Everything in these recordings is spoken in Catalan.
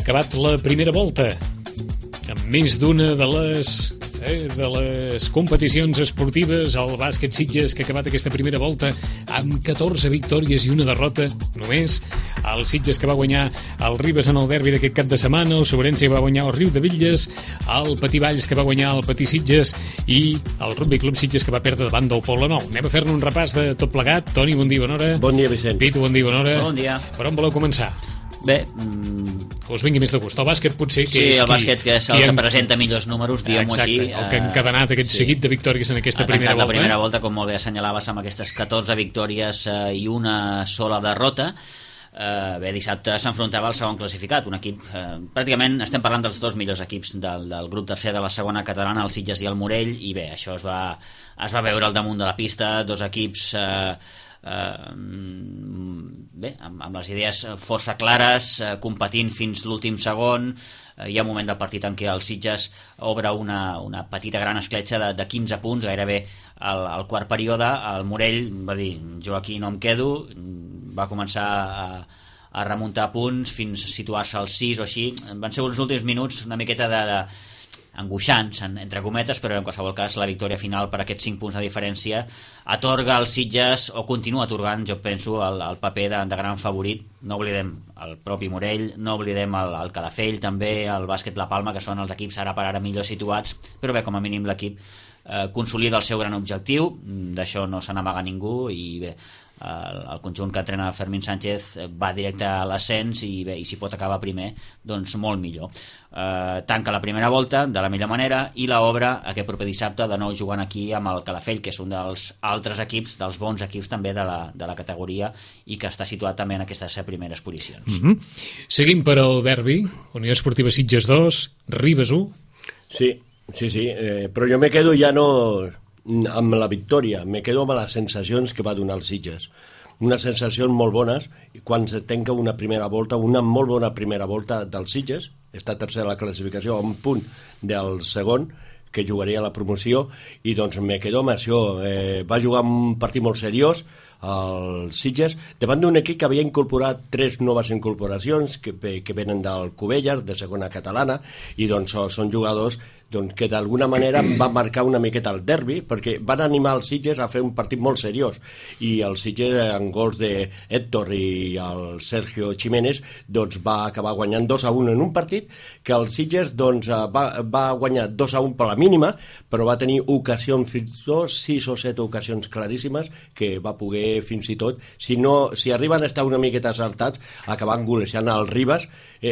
acabat la primera volta amb més d'una de les competicions esportives. El bàsquet Sitges, que ha acabat aquesta primera volta amb 14 victòries i una derrota només. El Sitges, que va guanyar el Ribes en el derbi d'aquest cap de setmana, el Sobrense, que va guanyar el Riudebitlles, el Patí Valls, que va guanyar el Patí Sitges, i el Rugby Club Sitges, que va perdre davant del Poble Nou. Anem a fer-ne un repàs de tot plegat. Toni, bon dia, bona hora. Bon dia, Vicent. Pitu, bon dia, bona hora. Bon dia. Per on voleu començar? Bé, que us vingui més de gust. El bàsquet potser que sí, és el bàsquet que és el que presenta millors números, diguem-ho així. Exacte, el que ha encadenat aquest seguit de victòries en aquesta primera volta. La primera volta, com molt bé assenyalaves, amb aquestes 14 victòries i una sola derrota. Bé, dissabte s'enfrontava al segon classificat, un equip, pràcticament estem parlant dels dos millors equips del grup tercer de la segona catalana, el Sitges i el Morell, i bé, això es va veure al damunt de la pista, dos equips bé, amb les idees força clares, competint fins l'últim segon. Hi ha un moment del partit en què el Sitges obre una petita gran escletxa de 15 punts, gairebé al quart període. El Morell va dir, jo aquí no em quedo, va començar a remuntar punts fins a situar-se als 6 o així. Van ser uns últims minuts una miqueta angoixants, entre cometes, però en qualsevol cas la victòria final per aquests 5 punts de diferència atorga als Sitges, o continua atorgant, jo penso, el paper de gran favorit. No oblidem el propi Morell, no oblidem el Calafell, també el Bàsquet La Palma, que són els equips ara per ara millor situats, però bé, com a mínim l'equip consolida el seu gran objectiu, d'això no se n'amaga ningú, i bé, el conjunt que entrena Fermín Sánchez va directe a l'ascens, i bé, i si pot acabar primer, doncs molt millor. Tanca la primera volta de la millor manera i l'obre aquest proper dissabte, de nou jugant aquí amb el Calafell, que és un dels altres equips, dels bons equips també de la categoria, i que està situat també en aquestes primeres posicions. Seguim per al derbi, Unió Esportiva Sitges 2, Ribes 1. Sí, però jo me quedo ja no amb la victòria, me quedo amb les sensacions que va donar els Sitges. Unes sensacions molt bones, quan se tanca una primera volta, una molt bona primera volta dels Sitges, està tercer a la classificació, a un punt del segon, que jugaria a la promoció, i doncs me quedo amb això. Va jugar un partit molt seriós, el Sitges, davant d'un equip que havia incorporat 3 noves incorporacions que venen del Cubelles, de segona catalana, i doncs són jugadors que d'alguna manera va marcar una miqueta el derbi, perquè van animar els Sitges a fer un partit molt seriós, i el Sitges, amb gols d'Héctor i el Sergio Jiménez, doncs va acabar guanyant 2-1 en un partit que el Sitges va guanyar 2-1 per la mínima, però va tenir ocasions, fins i tot 6 o 7 ocasions claríssimes, que va poder fins i tot, si arriben a estar una miqueta saltats, acabant golejant el Ribes,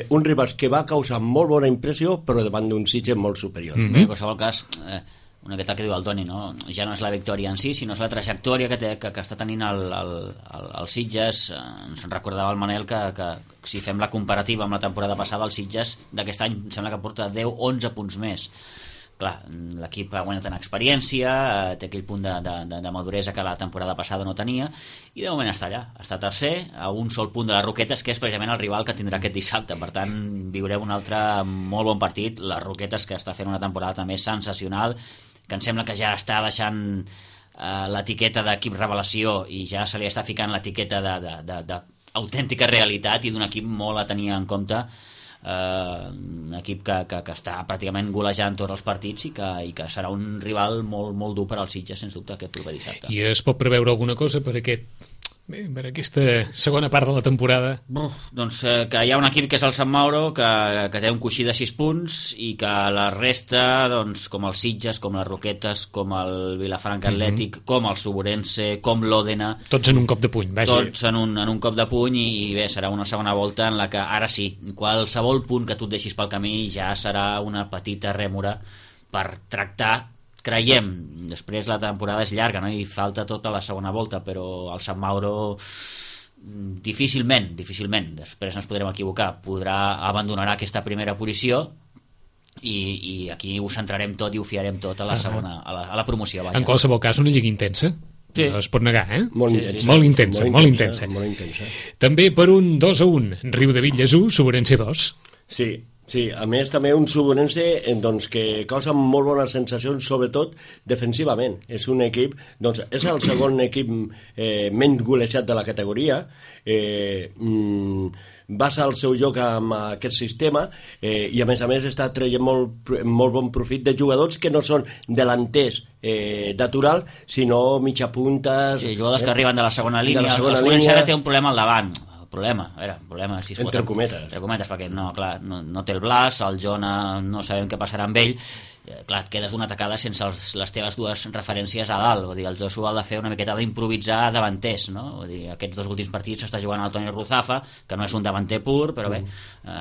un Ribes que va causar molt bona impressió, però davant d'un Sitges molt superior. Bé, en qualsevol cas, una miqueta que diu el Toni, no? Ja no és la victòria en si, sinó és la trajectòria que està tenint el Sitges. Ens recordava el Manel que si fem la comparativa amb la temporada passada, el Sitges d'aquest any sembla que porta 10-11 punts més. Clar, l'equip ha guanyat en experiència, té aquell punt de maduresa que la temporada passada no tenia, i de moment està allà, està tercer, a un sol punt de les Roquetes, que és precisament el rival que tindrà aquest dissabte. Per tant, viureu un altre molt bon partit. Les Roquetes, que està fent una temporada també sensacional, que em sembla que ja està deixant l'etiqueta d'equip revelació, i ja se li està ficant l'etiqueta d'autèntica realitat, i d'un equip molt a tenir en compte, un equip que està pràcticament golejant tots els partits, i que serà un rival molt, molt dur per als Sitges, sens dubte, aquest proper dissabte. I es pot preveure alguna cosa per aquesta segona part de la temporada? Doncs que hi ha un equip que és el Sant Mauro, que té un coixí de 6 punts, i que la resta, doncs, com el Sitges, com les Roquetes, com el Vilafranca Atlètic, com el Suburense, com l'Òdena, tots en un cop de puny, vaja. Tots en un cop de puny, i bé, serà una segona volta en la que ara sí, qualsevol punt que tu et deixis pel camí ja serà una petita rèmora per tractar. Creiem, després la temporada és llarga, no? I falta tota la segona volta, però el Sant Mauro difícilment, després ens podrem equivocar, abandonarà aquesta primera posició, i aquí ho centrarem tot i ho fiarem tot a la segona, a la promoció. Vaja. En qualsevol cas, una lliga intensa. Sí. No es pot negar, Molt intensa. També per un 2-1, Riudebitlles 1, Sobrense 2. Sí, Sí, a més també un Subonense doncs, que causa molt bones sensacions, sobretot defensivament. És un equip, doncs, és el segon equip menys golejat de la categoria, basa el seu joc amb aquest sistema i a més està traient molt bon profit de jugadors que no són delanters natural, sinó mitjapuntes... Sí, jugadors que arriben de la segona línia. El Subonense ara té un problema al davant. Problema, si es pot, entre cometes, perquè no té el Blas, el Jona no sabem què passarà amb ell, clar, et quedes d'una tacada sense les teves dues referències a dalt. Vull dir, el Joshua ha de fer una miqueta d'improvisar davanters, no? Vull dir, aquests dos últims partits s'està jugant el Toni Ruzafa, que no és un davanter pur, però bé,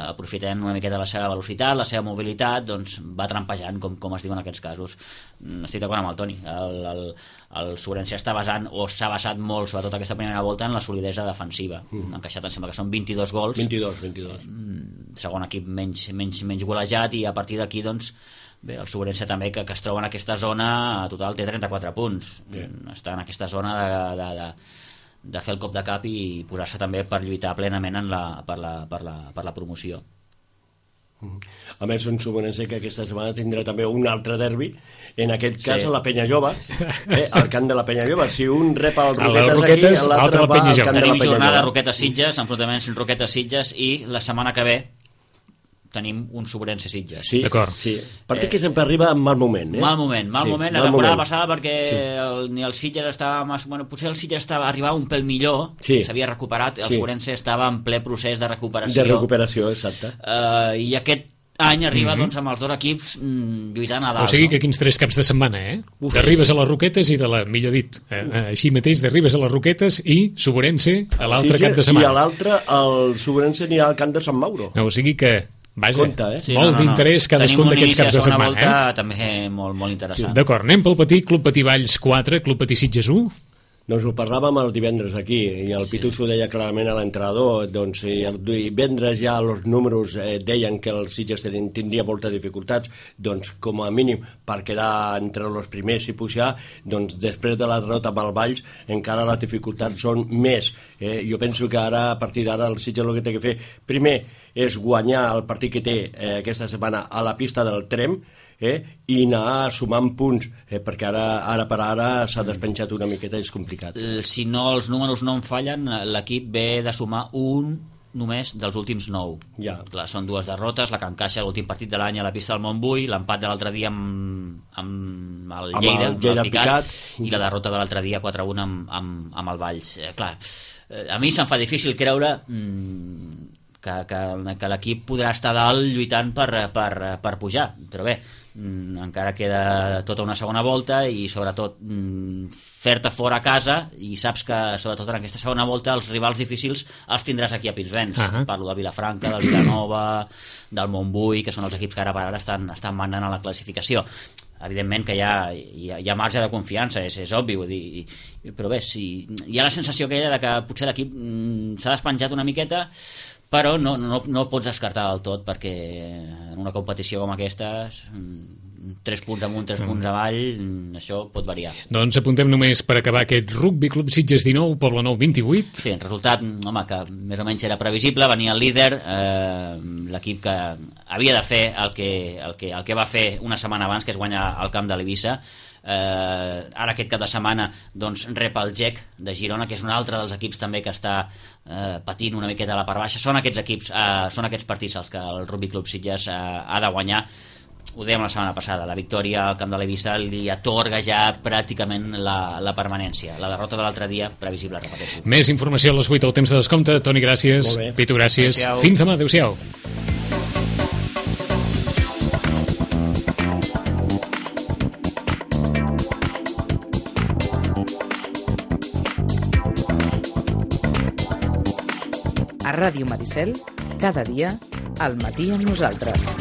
aprofitem una miqueta la seva velocitat, la seva mobilitat, doncs va trampejant, com es diu en aquests casos. Estic d'acord amb el Toni. El Subonense s'ha basat molt, sobretot aquesta primera volta, en la solidesa defensiva. Han encaixat, em sembla que són 22 gols. 22. Segon equip menys golejat, i a partir d'aquí, doncs, bé, el Subonense també, que es troba en aquesta zona, a total té 34 punts. Està en aquesta zona de fer el cop de cap i posar-se també per lluitar plenament per la promoció. A més, un Subonense que aquesta setmana tindrà també un altre derbi, en aquest cas a la Penyalloba, al camp de la Penyalloba. Si un rep el Roquetes aquí, l'altre va al camp de la Penyalloba. Tenim jornada Roquetes-Sitges, enfrontaments Roquetes-Sitges, i la setmana que ve tenim un Subonense-Sitges. Sí, d'acord. Sí. Partit que sempre arriba en mal moment. Mal moment. La temporada passada, perquè ni el Sitges estava... Bueno, potser el Sitges arribava un pèl millor, s'havia recuperat, el Subonense estava en ple procés de recuperació. De recuperació, exacte. I aquest any arriba doncs, amb els dos equips lluitant a dalt. O sigui que quins 3 caps de setmana, D'arribes a les Roquetes i millor dit, així mateix, d'arribes a les Roquetes i Subonense a l'altre cap de setmana. I a l'altre, el Subonense anirà al camp de Sant Mauro. O sigui que vaja, compte, molt d'interès cadascun d'aquests caps de setmana. Tenim un inici a segona volta també molt interessant. D'acord, anem pel Patí, Club Patí Valls 4, Club Patí Sitges 1. Doncs ho parlàvem el divendres aquí, i el Pitu s'ho deia clarament a l'entrenador, doncs el divendres ja els números deien que el Sitges tindria moltes dificultats, doncs com a mínim per quedar entre els primers i pujar, doncs després de la derrota amb el Valls encara les dificultats són més. Jo penso que ara, a partir d'ara, el Sitges el que té que fer primer és guanyar el partit que té aquesta setmana a la pista del Trem, i anar sumant punts, perquè ara per ara s'ha despenjat una miqueta i és complicat. Si no, els números no em fallen, l'equip ve de sumar un només dels últims 9. Clar, són 2 derrotes, la que encaixa l'últim partit de l'any a la pista del Montbui, l'empat de l'altre dia amb el Lleida, el Picat, i la derrota de l'altre dia 4-1 amb el Valls. Clar, a mi se'm fa difícil creure que l'equip podrà estar dalt lluitant per pujar, però bé, encara queda tota una segona volta, i sobretot fer-te fora a casa, i saps que sobretot en aquesta segona volta els rivals difícils els tindràs aquí a Pinsbens. Parlo de Vilafranca, del Vilanova, del Montbui, que són els equips que ara per ara estan mandant a la classificació. Evidentment que hi ha marge de confiança, és obvi, vull dir, però bé, hi ha la sensació aquella de que potser l'equip s'ha despenjat una miqueta, però no pots descartar del tot, perquè en una competició com aquesta 3 punts amunt, 3 punts avall, això pot variar. Doncs apuntem només per acabar aquest Rugby Club Sitges 19, Poble Nou 28. Sí, el resultat, home, que més o menys era previsible, venia el líder, l'equip que havia de fer el que va fer una setmana abans, que és guanyar al camp de l'Eivissa. Ara aquest cap de setmana doncs rep el GEC de Girona, que és un altre dels equips també que està patint una miqueta a la part baixa. Són aquests partits els que el Rugby Club Sitges ha de guanyar. Ho dèiem la setmana passada, la victòria al camp de l'Eivissa li atorga ja pràcticament la permanència. La derrota de l'altre dia, previsible, repeteixo. Més informació a les 8 al temps de descompte. Toni, gràcies. Pitu, gràcies. Adéu-siau. Fins demà, adéu-siau. A Ràdio Maricel, cada dia, al matí amb nosaltres.